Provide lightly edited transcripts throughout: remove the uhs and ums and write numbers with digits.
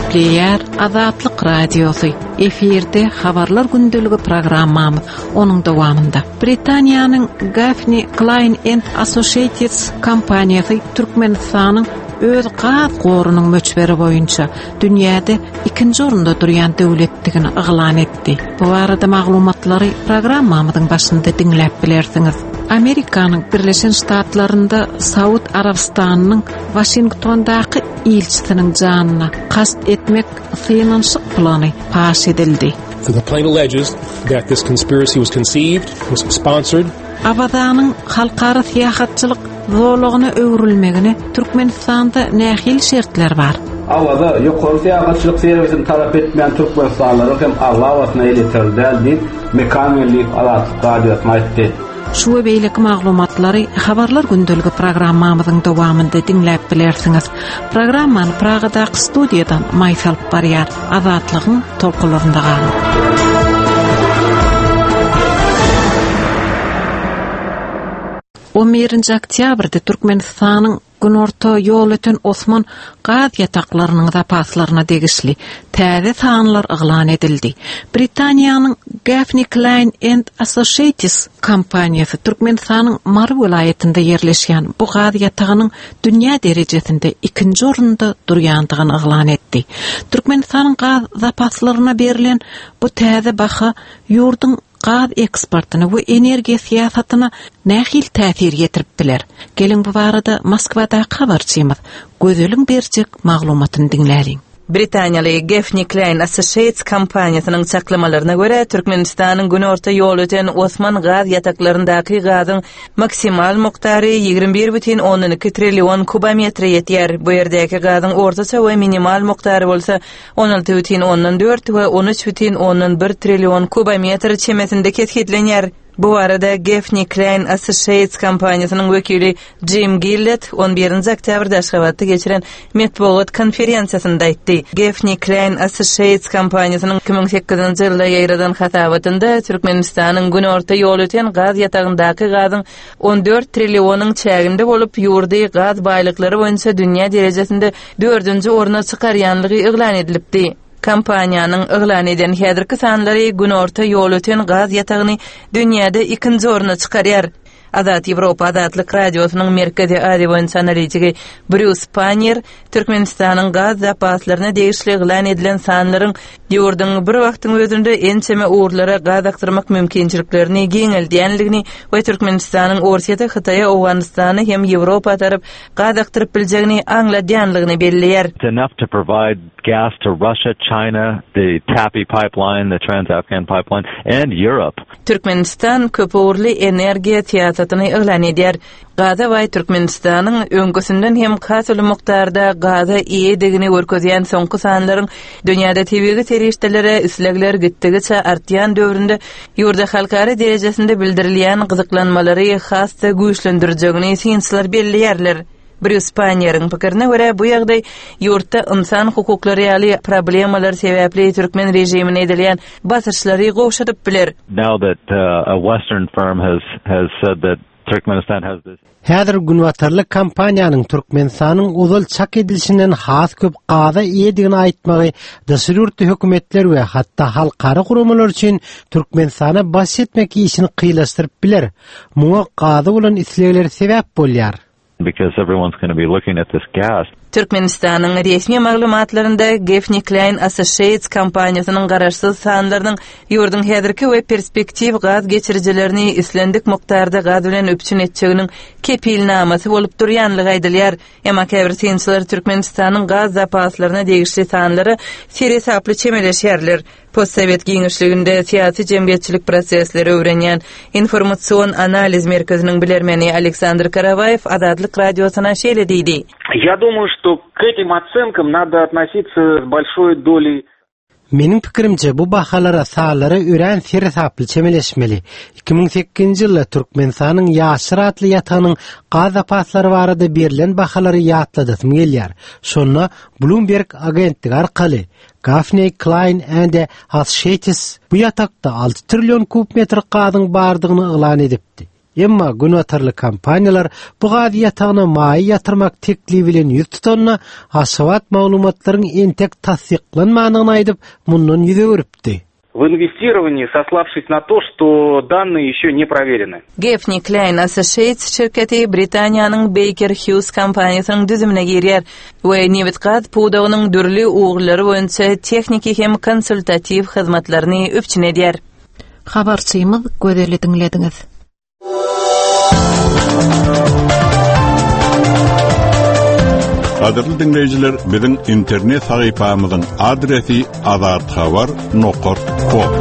Gepleýär Azatlyk Radiosy. Efirde Habarlar gündeligi programmamyz. Onuň dowamynda Britaniýanyň Gaffney Cline and Associates kompaniýasy Türkmenistanyň öz gaz gorunyň möçberi boýunça dünýäde ikinji orunda durýan döwletdigini yglan etdi. Bu barada maglumatlary programmamyzyň başynda diňläp bilersiňiz. Amerikanyň Birleşen Ştatlarynda Saud Arabystanynyň Waşingtondaky ilçisiniň janyna kast etmek synanyşyk plany paş edildi. The complaint alleges that this conspiracy was conceived, was sponsored. Awazanyň halkara syýahatçylyk zolagyna öwrülmegine Türkmenistanda nähili şertler bar? Awaza ýokary syýahatçylyk serwisini talap etmeýän türkmenistanlylaryň hem aglabasyna elýeterli däl diýip, Mekan Geldiýew Azatlyk Radiosyna aýtdy. Şu we beýleki maglumatlary Habarlar gündeligi programmamyzyň dowamynda diňläp bilersiňiz. Programmany Pragadaky studiýadan Maýsa alyp barýar. Azatlygyň tolkunlarynda galyň. On birinji oktýabrda Türkmenistanyň Günorta Ýolöten Osman gaz ýataklarynyň zapaslaryna degişli täze sanlar yglan edildi. Britaniýanyň Gaffney Cline and Associates kompaniýasy Türkmenistanyň Mary welaýatynda ýerleşýän bu gaz ýatagynyň dünýä derejesinde ikinji orunda durýandygyny yglan etdi. Türkmenistanyň gaz zapaslaryna berlen bu täze baha ýurduň gaz eksportyna we energiýa syýasatyna nähili täsir ýetirip biler? Geliň bu barada Moskwadaky habarçymyz Gözeliň berjek maglumatyny diňläliň. Britaniýaly Gaffney Cline Associates kompaniýasynyň çaklamalaryna görä, Türkmenistanyň Günorta Ýolöten Osman gaz ýataklaryndaky gazyň maksimal mukdary 21,2 trillion kubometre ýetýär. Bu ýerdäki gazyň ortaça we minimal mukdary bolsa 16,4 we 13,1 trillion kubometr çemesinde kesgitlenýär. Bu barada Gaffney Cline Associates kompaniýasynyň wekili Jim Gillett on birinji oktýabrda Aşgabatda geçiren metbugat konferensiýasynda aýtdy. Gaffney Cline Associates kompaniýasynyň 2008-nji ýylda ýaýradan hasabatynda Türkmenistanyň Günorta Ýolöten gaz ýatagyndaky gazyň 14 trillionyň çäginde bolup, ýurdy gaz baýlyklary boýunça dünýä derejesinde dördünji orna çykarýanlygy yglan edilipdi. Kompaniýanyň yglan eden häzirki sanlary Günorta Ýolöten gaz ýatagyny dünýäde ikinji orna çykarýar. Azat Ýewropa Azatlyk Radiosynyň Merkezi Aziýa boýunça analitigi Brýus Pannier Türkmenistanyň gaz zapaslaryna degişli yglan edilen sanlaryň ýurduň bir wagtyň özünde ençeme ugurlara gaz akdyrmak mümkinçiliklerini giňeldýänligini we Türkmenistanyň Orsýete, Hytaýa, Owganystana hem Ýewropa tarap gaz akdyryp biljegini aňladýanlygyny belleýär. It's enough to provide gas to Russia, China, the TAPI pipeline, the Trans-Afghan pipeline, and Europe. Türkmenistan köpugurly energiýa syýasatyny yglan edýär. Gaza baý Türkmenistanyň öňküsinden hem has uly mukdarda gaza eýedigini görkezýän soňky sanlaryň dünýäde tebigy serişdelere islegler gitdigiçe artýan döwründe ýurda halkara derejesinde bildirilýän gyzyklanmalary has-da güýçlendirjegini synçylar belleýärler. Brýus Panniýeriň pikirine görä, bu ýagdaý ýurtda ynsan hukuklary ýaly problemalar sebäpli türkmen režimine edilýän basyşlary gowşadyp biler. Now that a western firm has has said that Turkmenistan has this. Häzir günbatarly kompaniýanyň Türkmenistanyň ozal çak edilişinden has köp gaza eýedigini aýtmagy daşary ýurtly hökümetler we hatda halkara guramalar üçin Türkmenistana basyş etmek işini kynlaşdyryp biler. Muňa gaza bolan islegler sebäp bolýar. Because everyone's gonna be looking at this gas. Türkmenistanyň resmi maglumatlarynda Gaffney Cline Associates kompaniýasynyň garaşsyz sanlarynyň ýurduň häzirki we perspektiw gaz geçirijilerini islendik mukdarda gaz bilen üpjün etjeginiň kepilnamasy bolup durýanlygy aýdylýar. Emma käbir synçylar Türkmenistanyň gaz zapaslaryna degişli sanlara seresaply çemeleşýärler. Postsowet giňişliginde syýasy-jemgyýetçilik prosesleri öwrenýän Informasion analiz merkeziniň bilermeni Aleksandr Karawaýew Azatlyk Radiosyna şeýle diýdi. Ýa dumaýu, şto k etim otsenkom nado otnositsa s bolşoý doley Meniň pikirimçe, bu bahalara, sanlara örän seresaply çemeleşmeli. 2008-nji ýylda Türkmenistanyň Ýaşyr atly ýatagynyň gaz zapaslary barada berlen bahalary ýatladasym gelýär. Şonda Bloomberg agentligi arkaly Gaffney Cline and Associates bu ýatakda 6 trillion kub metr gazyň bardygyny yglan edipdi. Emma günbatarly kompaniýalar bu gaz ýatagyna maýa ýatyrmak teklibi bilen ýüz tutanda, Aşgabat maglumatlaryň entek tassyklanmandygyny aýdyp, mundan ýüz öwrüpdi. В инвестировании, сославшись на то, что данные еще не проверены. Gaffney Cline Associates şirketi Britaniýanyň Baker Hughes kompaniýasynyň düzümine girýär we nebit-gaz pudagynyň dürli ugurlary boýunça tehniki hem konsultatiw hyzmatlaryny üpjün edýär. Habarçymyz Gözeli diňlediňiz. Gadyrly diňleýjiler, biziň internet sahypamyzyň adresi azathabar nokat kom.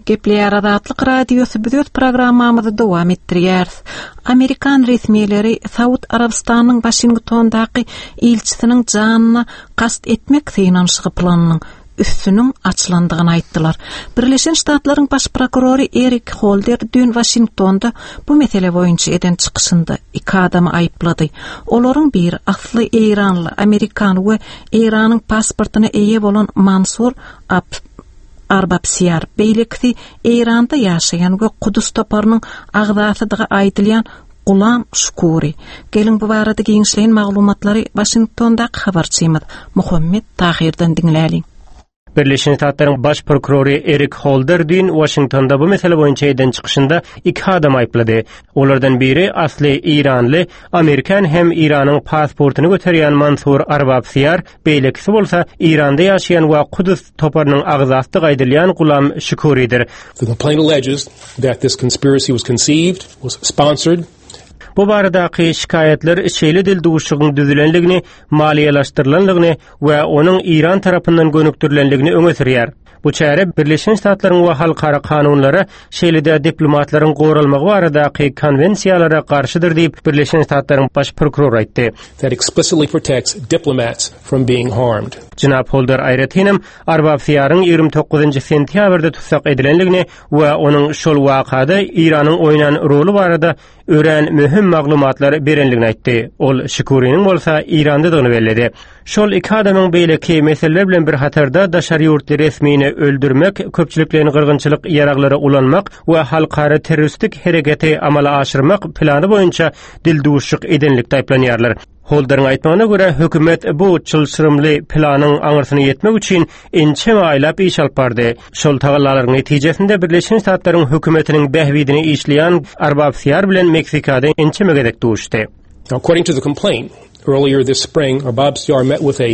Gepleýär Azatlyk Radiosy biz öz programmamyzy dowam etdirýäris. Amerikan resmileri Saud Arabystanynyň Waşingtondaky ilçisiniň janyna kast etmek synanyşygy planynyň üstüniň açylandygyny aýtdylar. Birleşen Ştatlaryň baş prokurory Erik Holder düýn Waşingtonda bu mesele boýunça eden çykyşynda iki adamy aýyplady. Olaryň biri asly eýranly, amerikan we Eýranyň pasportyna eýe bolan Mansur Arbabsiýar, beýlekisi Eýranda ýaşaýan we Kudus toparynyň agzasydygy aýdylýan Gulam Şukuri. Geliň bu barada giňişleýin maglumatlary Waşingtondaky habarçymyz Muhammet Tahyrdan diňläliň. Birleşen Ştatlaryň Baş prokurory Erik Holder düýn Waşingtonda bu mesele boýunça eden çykyşynda iki adamy aýyplady. Olardan biri asly eýranly, amerikan hem Eýranyň pasportyny göterýän Mansur Arbabsiýar, beýlekisi bolsa Eýranda ýaşaýan we Kudus toparynyň agzasydygy aýdylýan Gulam Şükuridir. The complaint alleges that this conspiracy was conceived, was sponsored, Bu baradaky şikaýatlar şeýle dildüwşügiň düzülendigini, maliýeleşdirilendigini we onuň Eýran tarapyndan gönükdirilendigini öňe sürýär. Bu çäre Birleşen Ştatlaryň we halkara kanunlara, şeýle-de diplomatlaryň goralmagy baradaky konwensiýalara garşydyr diýip, Birleşen Ştatlaryň baş prokurory aýtdy. That explicitly protects diplomats from being harmed. Jenap Holder aýratynam Arbabsiýaryň 29 sentýabrda tussag edilendigini we onuň şol wakada Eýranyň oýnan roly barada örän möhüm maglumatlar berendigini aýtdy. Ol Şikuriniň bolsa Eýrandadygyny belledi. Şol iki adamyň beýleki meseleler bilen bir hatarda daşary ýurtly resmini öldürmek, köpçülikleýin gyrgynçylyk ýaraglary ulanmak we halkara terroristik hereketi amala aşyrmak plany boýunça dildüwüşik edenlikde aýyplanýarlar. Holderiň aýtmagyna görä, hökümet bu çylşyrymly planyň aňyrsyna ýetmek üçin ençeme aýlap iş alyp bardy. Şol tagallalaryň netijesinde Birleşen Ştatlaryň hökümetiniň bähbidine işleýän Arbabsiýar bilen Meksikada ençeme gezek duşdy. According to the complaint, earlier this spring, Arbabsiar met with a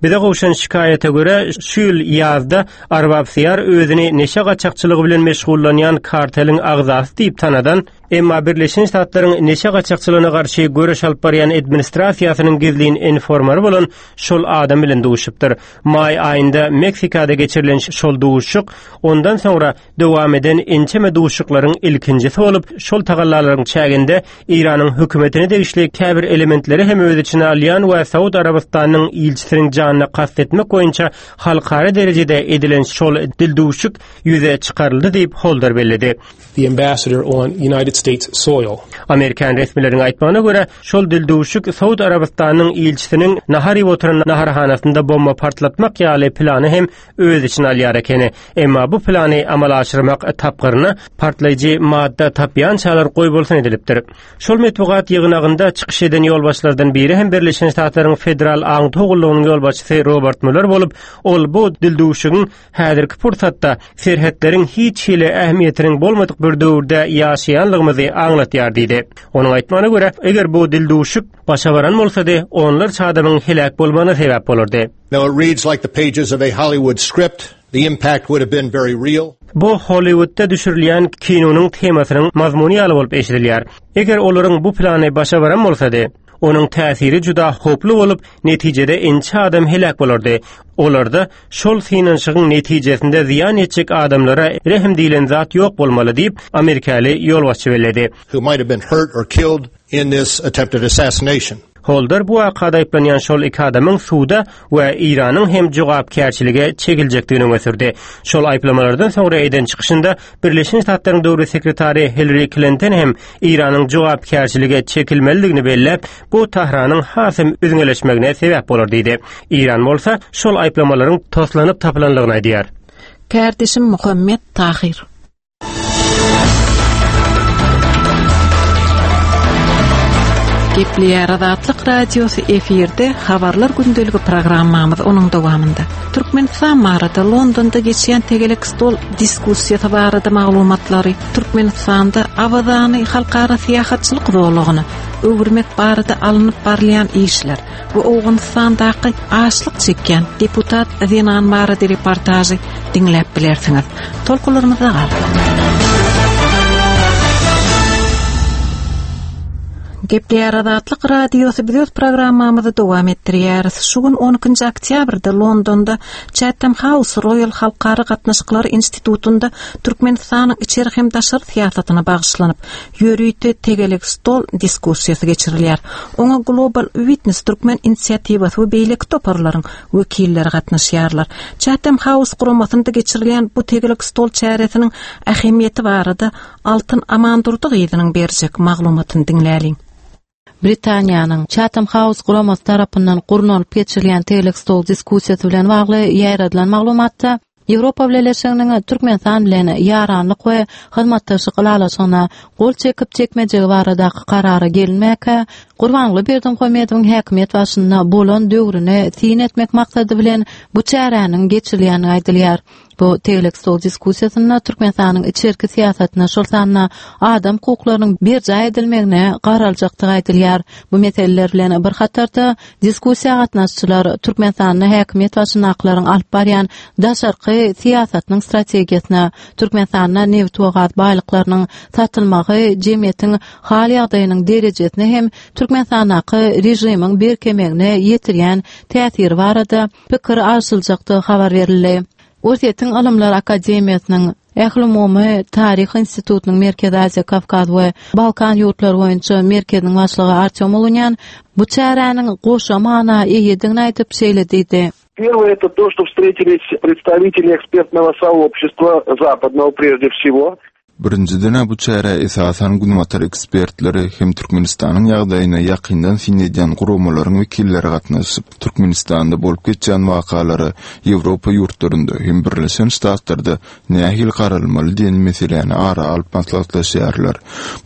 Bize gowşan şikaýata görä, şu ýyl ýazda Arbabsiýar özüni neşe gaçakçylygy bilen meşgullanýan karteliň agzasy diýip tanadan, Emma Birleşen Ştatlaryň neşe gaçakçylygyna garşy göreş alyp barýan administrasiýasynyň gizlin informary bolan şol adam bilen duşupdyr. Maý aýynda Meksikada geçirilen şol duşuşyk ondan soňra dowam eden ençeme duşuşyklaryň ilkinjisi bolup, şol tagallalaryň çäginde Eýranyň hökümetine degişli käbir elementleri hem öz içine alýan we Saud Arabystanynyň ilçisiniň janyna kast etmek boýunça halkara derejede edilen şol dildüwşük ýüze çykaryldy diýip, Holder belledi. the ambassador on United States soil. Amerikan resmileriniň aýtmagyna görä, şol dildüwşük Saud Arabystanynyň ilçisiniň nahar iýip oturan naharhanasynda bomba partlatmak ýaly plany hem öz içine alýar ekeni. Emma bu plany amala aşyrmak tapgyryna partlaýjy madda tapýançalar goýbolsun edilipdir. Şol metbugat ýygnagynda çykyş eden ýolbaşçylardan biri hem Birleşen Ştatlaryň Federal aňtaw gullugynyň ýolbaşçysy Robert Mueller bolup, ol bu dildüwşügiň Häzirki pursatda serhetleriň hiç hili ähmiýetiniň bolmadyk bir döwürde ýaşaýanlygymyzy aňlatýar diýdi. Onuň aýtmagyna görä, eger bu dildüwşük başa baran bolsady, onlarça adamyň heläk bolmagyna sebäp bolardy. Now it reads like the pages of a Hollywood script. The impact would have been very real. Bu Hollywoodda düşürilýän kinonyň temasynyň mazmuny ýaly bolup eşidilýär. Eger olaryň bu plany başa baran bolsady, Onuň täsiri juda howply bolup, netijede ençe adam heläk bolardy. Olarda şol synanyşygyň netijesinde zyýan ýetjek adamlara rehim diýlen zat ýok bolmaly diýip, amerikaly ýolbaşçy belledi. Who might have been hurt or killed in this attempted assassination. Holder bu wakada aýyplanýan şol iki adamyň suda we Eýranyň hem jogapkärçilige çekiljekdigini öňe sürdi. Şol aýyplamalardan soňra eden çykyşynda Birleşen Ştatlaryň döwlet sekretary Hillari Klinton hem Eýranyň jogapkärçilige çekilmelidigini belläp, bu Tahranyň has hem üzňeleşmegine sebäp bolar diýdi. Eýran bolsa şol aýyplamalaryň toslanyp tapylanlygyny aýdýar. Kärdeşim Muhammet Tahyr. Gepleýär Azatlyk Radiosy efirde Habarlar gündeligi programmamyz onuň dowamynda. Türkmenistan barada Londonda geçýän tegelek stol diskussiýasy barada maglumatlary, Türkmenistanda Awazany halkara syýahatçylyk zolagyna öwürmek barada alnyp barylýan işler we Owganystandaky açlyk çekýän deputat zenan barada reportažy diňläp bilersiňiz. Tolkunlarymyzda galyň. Gepleýär Azatlyk Radiosy biz öz programmamyzy dowam etdirýäris. Şu gün 12-nji oktýabrda Londonda Chatham House Royal Halkara gatnaşyklary institutynda Türkmenistanyň içeri hem daşary syýasatyna bagyşlanyp, ýörite tegelek stol diskussiýasy geçirilýär. Oňa Global Witness türkmen inisiatiwasy we beýleki toparlaryň wekilleri gatnaşýarlar. Chatham House guramasynda geçirilýän bu tegelek stol çäresiniň ähmiýeti barada Altyn Amandurdy gyzynyň berjek maglumatyny diňläliň. Britaniýanyň Chatham House guramasy tarapyndan gurnalyp geçirilýän tegelek stol diskussiýasy bilen bagly ýaýradylan maglumatda Ýewropa Bileleşiginiň Türkmenistan bilen ýaranlyk we hyzmatdaşlyk ylalaşygyna gol çekip-çekmejegi baradaky karara gelinmäkä, Gurbanguly Berdimuhamedowyň häkimiýet başynda bolan döwrüne syn etmek maksady bilen bu çäräniň geçirilýändigi aýdylýar. Bu tegelek stol diskussiýasynda Türkmenistanyň içerki syýasatyna, şol sanda adam hukuklarynyň berjaý edilmegine garaljakdygy aýdylýar. Bu meseleler bilen bir hatarda, diskussiýa gatnaşyjylar Türkmenistanda häkimiýet başyndakylaryň alyp barýan daşarky syýasatynyň strategiýasyna, Türkmenistanda nebit we gaz baýlyklarynyň satylmagy jemgyýetiň hal-ýagdaýynyň derejesine hem Türkmenistandaky režimiň berkemegine ýetirýän täsiri barada pikir alşyljakdygy habar berildi. Orsýetiň Ylymlar akademiýasynyň Ählumumy taryh institutynyň Merkezi Aziýa, Kawkaz we Balkan ýurtlary boýunça merkeziniň başlygy Artýom Ulunýan bu çäräniň goşa mana eýedigini aýdyp, şeýle diýdi. Первое это то, что встретились представители экспертного сообщества западного прежде всего. Birinjiden-ä bu çärä esasan günbatar ekspertleri hem Türkmenistanyň ýagdaýyna ýakyndan syn edýän guramalaryň wekilleri gatnaşyp, Türkmenistanda bolup geçýän wakalara Ýewropa ýurtlarynda hem Birleşen Ştatlarda nähili garalmaly diýen meseläni ara alyp maslahatlaşýarlar.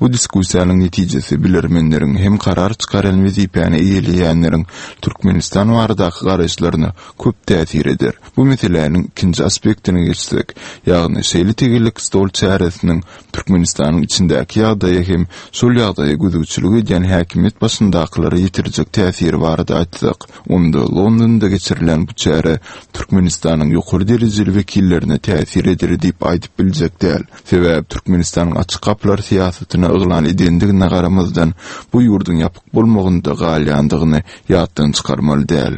Bu diskussiýanyň netijesi bilermenleriň hem karar çykarýan wezipäni eýeleýänleriň Türkmenistan baradaky garaýyşlaryna köp täsir eder. Bu meseläniň ikinji aspektine geçsek, ýagny şeýle tegelek stol çäresiniň Türkmenistanyň içindäki ýagdaýa hem şol ýagdaýa gözegçilik edýän häkimiýet başyndakylara ýetirjek täsiri barada aýtsak, onda Londonda geçirilen bu çäre Türkmenistanyň ýokary derejeli wekillerine täsir eder diýip aýdyp biljek däl. Sebäbi Türkmenistanyň açyk gapylar syýasatyny yglan edendigine garamazdan, bu ýurduň ýapyk bolmagynda galýandygyny ýatdan çykarmaly däl.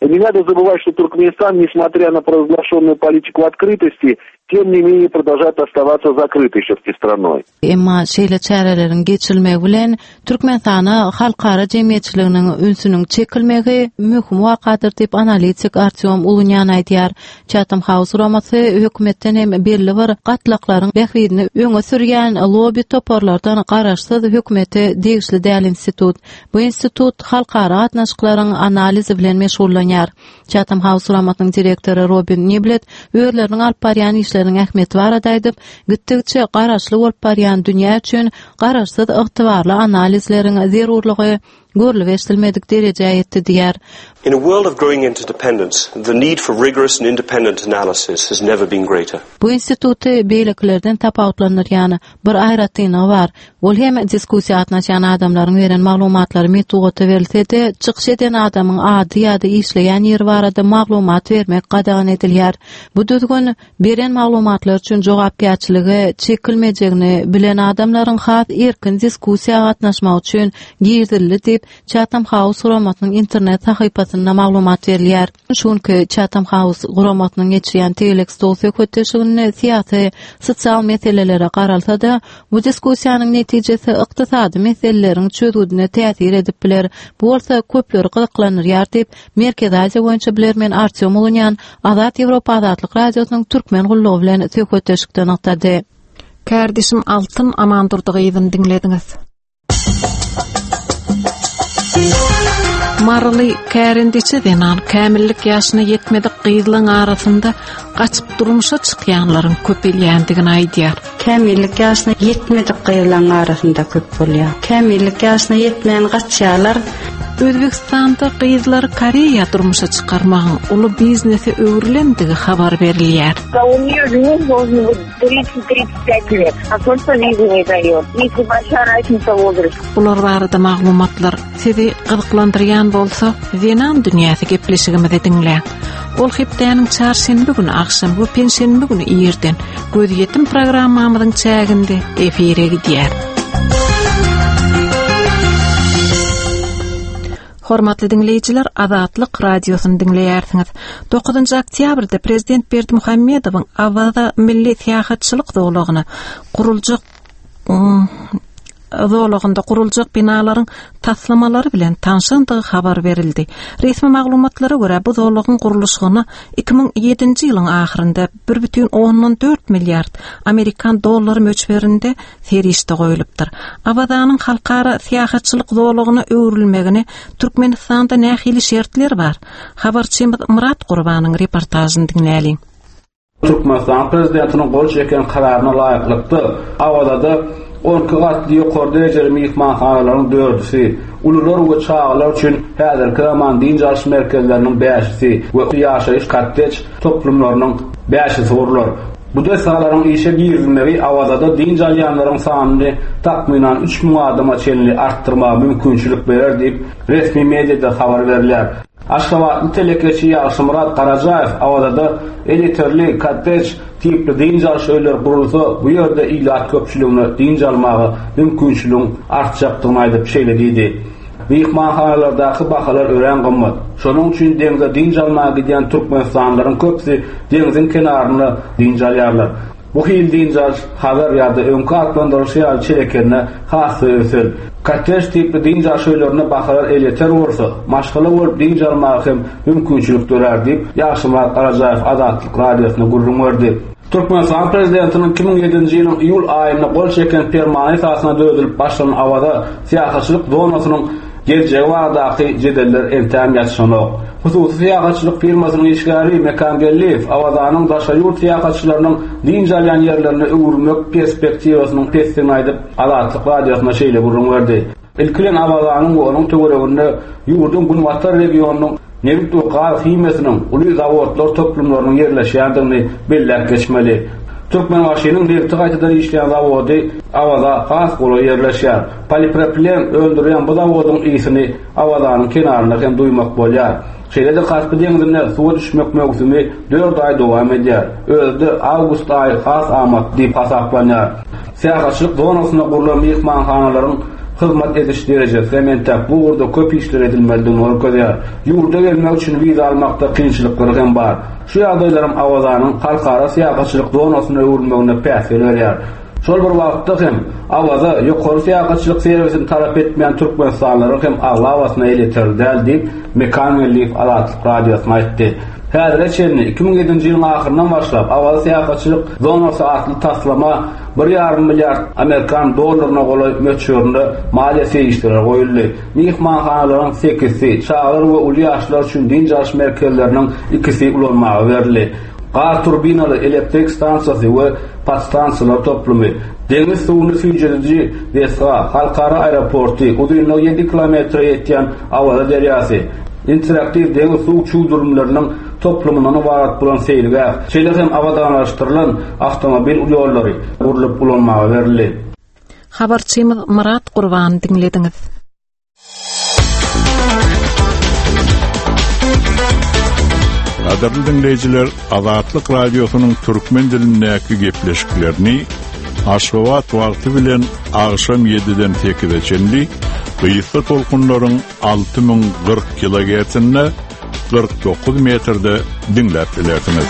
Не надо забывать, что Туркменистан, несмотря на провозглашенную политику открытости, тем не менее продолжает оставаться закрытой все-таки страной. Emma şeýle çäreleriň geçirilmegi bilen Türkmenistana halkara jemgyýetçiliginiň ünsüniň çekilmegi möhüm wakadyr diýip, analitik Artýom Ulunýan aýdýar. Chatham House guramasy hökümetden hem belli bir gatlaklaryň bähbidini öňe sürýän lobby toparlardan garaşsyz hökümete degişli däl institut. Bu institut halkara gatnaşyklaryň analizi bilen meşgullanýar. Chatham House guramasynyň direktory Robin Niblet özleriniň alyp barýan işleriniň ähmiýeti barada aýdyp, gitdigiçe garaşly bolup barýan dünýä üçin garaşsyz ygtybarly analizleriň zerurlygy görlüp-eşidilmedik derejä ýetdi diýýär. In a world of growing interdependence, the need for rigorous and independent analysis has never been greater. Bu instituty beýlekilerden tapawutlandyrýan bir aýratynlygy bar. Ol hem diskussiýa gatnaşýan adamlaryň beren maglumatlary metbugata berilse-de, çykyş eden adamyň ady ýa-da işleýän ýeri barada maglumat bermek gadagan edilýär. Bu düzgün beren maglumatlary üçin jogapkärçilige çekilmejegini bilen adamlaryň has erkin diskussiýa gatnaşmagy üçin girizildi diýip, Chatham House guramasynyň internet sahypasynda maglumat berilýär. Şu günki Chatham House guramasynyň geçirýän tegelek stol söhbetdeşliginde syýasy, sosial meselelere garalsa-da, bu diskussiýanyň netijesi ykdysady meseleleriň çözgüdine täsir edip biler. Bu bolsa köpleri gyzyklandyrýar diýip, Merkezi Aziýa boýunça bilermen Artýom Ulunýan Azat Ýewropa Azatlyk Radiosynyň Türkmen gullugy bilen söhbetdeşlikde nygtady. Kärdeşim Altyn Amandurdy gyzyny diňlediňiz. Maryly kärendeçi zenan kämillik ýaşyna ýetmedik gyzlaryň arasynda gaçyp durmuşa çykýanlaryň köpelýändigini aýdýar. Kämillik ýaşyna ýetmedik gyzlaryň arasynda köp bolýar. Kämillik ýaşyna ýetmän gaçýarlar. Özbegistanda gyzlary Koreýa durmuşa çykarmagyň uly biznese öwrülendigi habar berilýär. У нее жених должен быть 30-35 лет, а только визу не дает. Если большая разница в возрасте. Bular barada maglumatlar sizi gyzyklandyrýan bolsa, Zenan dünýäsi gepleşigimizi diňläň. Ol hepdäniň çarşenbe güni agşam we penşenbe güni irden Gözýetim programmamyzyň çäginde efire gidýär. Hormatly diňleýjiler, Azatlyk Radiosyny diňleýärsiňiz. 9-njy oktýabrda Prezident Berdimuhamedowyň Awaza milli syýahatçylyk zolagyna guruljak zolagynda guruljak binalaryň taslamalary bilen tanşandygy habar berildi. Resmi maglumatlara görä, bu zolagyň gurluşygyna 2007-nji ýylyň ahyrynda 1,4 milliard amerikan dollary möçberinde serişde goýlupdyr. Awazanyň halkara syýahatçylyk zolagyna öwrülmegine Türkmenistanda nähili şertler bar? Habarçymyz Myrat Gurbanyň reportažyny diňläliň. Türkmenistanyň Prezidentiniň gol çeken Kararyna laýyklykda, Awazada 12 gatly ýokary derejeli myhmanhanalaryň dördüsi, ulular we çagalar üçin häzirki zaman dynç alyş merkezleriniň bäşisi we ýaşaýyş kottej toplumlarynyň bäşisi gurlar. Bu desgalaryň işe girizilmegi Awazada dynç alýanlaryň sanyny takmynan 3000 adama çenli artdyrmaga mümkinçilik berer diýip, resmi mediada habar berilýär. Aşgabatly telekeçi Ýagşymyrat Garajaýew Awazada elýeterli kottej tipli dynç alyş öýleri gurulsa, bu ýerde ilat köpçüligine dynç almaga mümkinçiligiň artjakdygyny aýdyp, şeýle diýdi, Myhmanhanalardaky bahalar örän gymmat. Şonuň üçin deňze dynç almaga gidýän türkmenistanlylaryň köpüsi deňziň kenarynda dynç alýarlar. Bu hili dynç alyş Hazar ýa-da öňki atlandyrylyşy ýaly Çelekende has-da ösen. Kottej tipli dynç alyş öýlerinde bahalar elýeter bolsa, maşgala bolup dynç almaga hem mümkinçilik dörär diýip, Ýagşymyrat Garajaýew Azatlyk Radiosyna gürrüň berdi. Türkmenistanyň Prezidentiniň 2007-nji ýylyň iýul aýynda gol çeken Permany esasynda döredilip başlanan Awaza syýahatçylyk zonasynyň geljegi baradaky jedeller entäm ýatyşanok. Hususy syýahatçylyk firmasynyň işgäri Mekan Geldiýew Awazanyň daşary ýurt syýahatçylarynyň dynç alýan ýerlerine öwrülmek perspektiwasynyň pesdigini aýdyp, Azatlyk Radiosyna şeýle gürrüň berdi. Ilki bilen Awazanyň we onuň töwereginde ýurduň günbatar regionynyň nebit we gaz himiýasynyň uly zawodlar toplumlarynyň ýerleşýändigini belläp geçmeli. Türkmenbaşynyň nebiti gaýtadan işleýän zawody Awaza has golaý ýerleşýär. Polipropilen öndürýän bu zawodyň ysyny Awazanyň kenarynda hem duýmak bolýar. Şeýle-de Kaspi deňzinde suwa düşmek möwsümi dört aý dowam edýär. Özi-de awgust aýy has amatly diýip hasaplanýar. Syýahatçylyk zonasynda gurlan myhmanhanalaryň hyzmat ediş derejesi hem entäk bu ugurda köp işler edilmelidigini görkezýär. Ýurda gelmek üçin wiza almakda kynçylyklar hem bar. Şu ýagdaýlaram Awazanyň halkara syýahatçylyk zonasyna öwrülmegine päsgel berýär. Şol bir wagtda hem, Awaza ýokary syýahatçylyk serwisini talap etmeýän türkmenistanlylaryň hem aglabasyna elýeterli däl diýip, Mekan Geldiýew Azatlyk Radiosyna aýtdy. Häzire çenli, 2007-nji ýylyň ahyryndan başlap, Awaza syýahatçylyk zonasy atly taslama bir ýarym milliard amerikan dollaryna golaý möçberinde maliýe serişdeleri goýuldy. Myhmanhanalaryň sekizisi, çagalar we uly ýaşlylar üçin dynç alyş merkezleriniň ikisi ulanmaga berildi. Gaz turbinaly elektrik stansiýasy we podstansiýalar toplumy, deňiz suwuny süýjediji desga, halkara aeroporty, uzynlygy ýedi kilometre ýetýän Awaza derýasy, interaktiw deňiz suw çüwdürimleriniň toplumyndan ybarat bolan seýilgäh, şeýle hem abadanlaşdyrylan awtomobil ýollary gurlup ulanmaga berildi. Habarçymyz Myrat Gurbany diňlediňiz. Gadyrly diňleýjiler, Azatlyk Radiosynyň türkmen dilindäki gepleşiklerini Aşgabat wagty bilen agşam 7-den 8-e çenli gysga tolkunlaryň 6040 kilogertsinde 49 metrde diňläp bilersiňiz.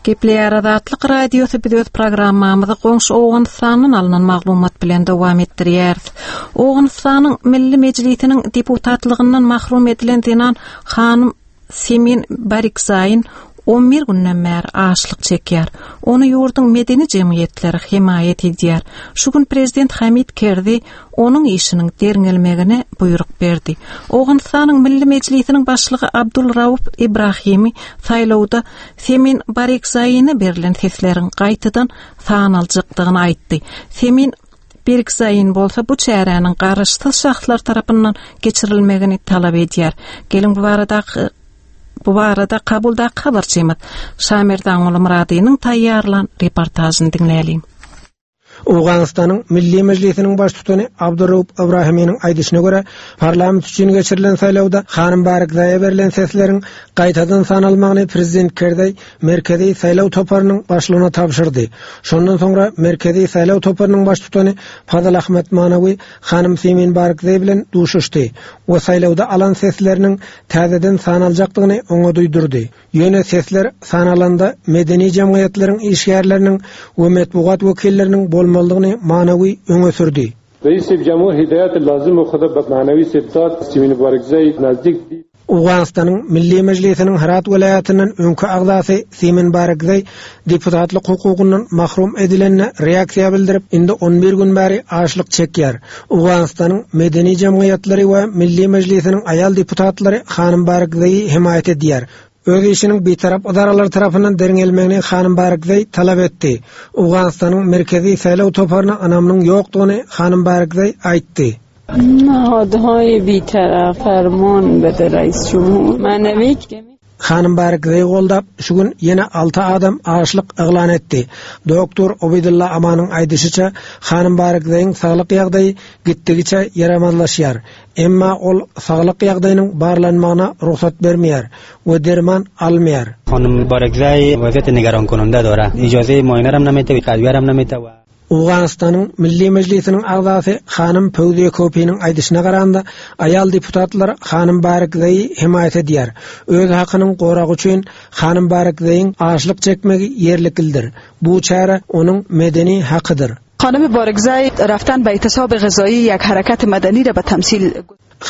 Gepleýär Azatlyk Radiosy biz öz programmamyzy goňşy Owganystandan alnan maglumat bilen dowam etdirýäris. Owganystanyň Milli Mejlisiniň deputatlygyndan mahrum edilen zenan hanym Semin Barikzaýyn 11 günden bäri açlyk çekýär. Ony ýurduň medeni jemgyýetleri hemaýat edýär. Şu gün prezident Hamid Kerzi onuň işiniň derňelmegine buýruk berdi. Owganystanyň Milli Mejlisiniň başlygy Abdul Rauf Ibrahimi saýlawda Semin Barikzaine berlen sesleriň gaýtadan sanaljakdygyny aýtdy. Semin Berikzain bolsa bu çäräniň garaşsyz şahslar tarapyndan geçirilmegini talap edýär. Geliň bu baradaky bu barada Kabuldaky habarçymyz Şamerdanguly Myradynyň taýýarlan reportažyny diňläliň. Owganystanyň Milli Mejlisiniň baştutany Abdurraup Ibrahiminiň aýdyşyna görä, parlament üçin geçirilen saýlawda hanym Barakzaýa berlen sesleriň gaýtadan sanalmagyny prezident Kerzaý Merkezi saýlaw toparynyň başlygyna tabşyrdy. Şondan soňra Merkezi saýlaw toparynyň baştutany Fazal Ahmad Manawi hanym Simin Barakzaý bilen duşuşdy we saýlawda alan sesleriniň täzeden sanaljakdygyny oňa duýdurdy. Ýöne sesler sanalanda medeni jemgyýetleriň işgärleriniň we metbugat wekilleriniň bolmalydygyny Manawi öňe sürdi. Owganystanyň Milli Mejlisiniň Hyrat welaýatyndan öňki agzasy Simin Barakzaý deputatlyk hukugyndan mahrum edilenine reaksiýa bildirip, indi on bir gün bäri açlyk çekýär. Owganystanyň medeni jemgyýetleri we Milli Mejlisiniň aýal deputatlary hanym Barakzaýy hemaýat edýär. Öz işiniň bitarap ydaralary tarapyndan derňelmegini hanym Barakzaý talap etdi. Owganystanyň Merkezi saýlaw toparyna ynamynyň ýokdugyny hanym Barakzaý aýtdy. Hanym Barakzaýy goldap, şu gün ýene alty adam açlyk yglan etdi. Doktor Obeýdulla Amanyň aýdyşyça, hanym Barakzaýyň saglyk ýagdaýy gitdigiçe ýaramazlaşýar. Emma ol saglyk ýagdaýynyň barlanmagyna rugsat bermeýär we derman almaýar. Owganystanyň Milli Mejlisiniň agzasy hanym Pöwziýe Kopiniň aýdyşyna garanda, aýal deputatlar hanym Barekzaýy hemaýat edýär. Öz hakynyň goragy üçin hanym Barekzaýyň açlyk çekmegi ýerliklidir. Bu çäre onuň medeni hakydyr. Hanym Barekzaý raftan be ihtisab gyzaýy ýek hereket medeni re be temsil.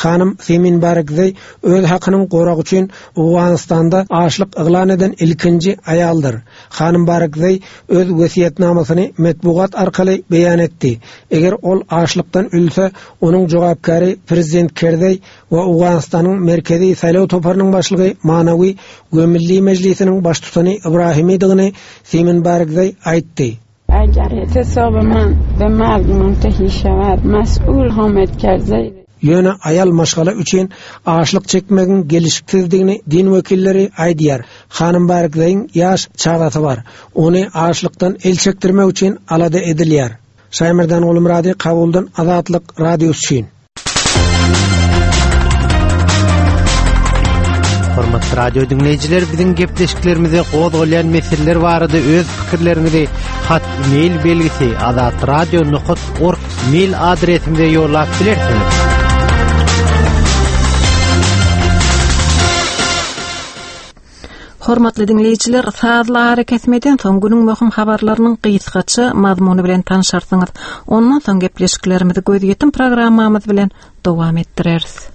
Hanym Simin Barekzaý öz hakynyň goragy üçin Owganystanda açlyk yglan eden ilkinji aýaldyr. Hanym Barekzaý öz wesýetnamasyny metbugat arkaly beýan etdi. Eger ol açlykdan ölse, onuň jogapkäri prezident Kerzeý we Owganystanyň Merkezi saýlaw toparynyň başlygy Manawi we Milli Mejlisiniň baştutany Ibrahimidigini Simin Barekzaý aýtdy. Eger ihtisaby men be merg muntehi şewed, mes'ul Hamed Kerzeý. Ýöne aýal maşgala üçin açlyk çekmegiň gelşiksizdigini din wekilleri aýdýar. Hanym Barekzaýyň ýaş çagasy bar. Ony açlykdan el çekdirmek üçin alada edilýär. Şaýmerdan Gulmyrady Kabuldan Azatlyk Radiosy üçin. Hormatly radio diňleýjiler, biziň gepleşiklerimize gozgalýan meseleler barada öz pikirleriňizi hat mail belgisi azatradio.org mail adresimize ýollap bilersiňiz. Hormatly diňleýjiler, sazly arakesmeden soň günüň möhüm habarlarynyň gysgaça mazmuny bilen tanşarsyňyz. Ondan soň gepleşiklerimizi gözýetim programmamyz bilen dowam etdireris.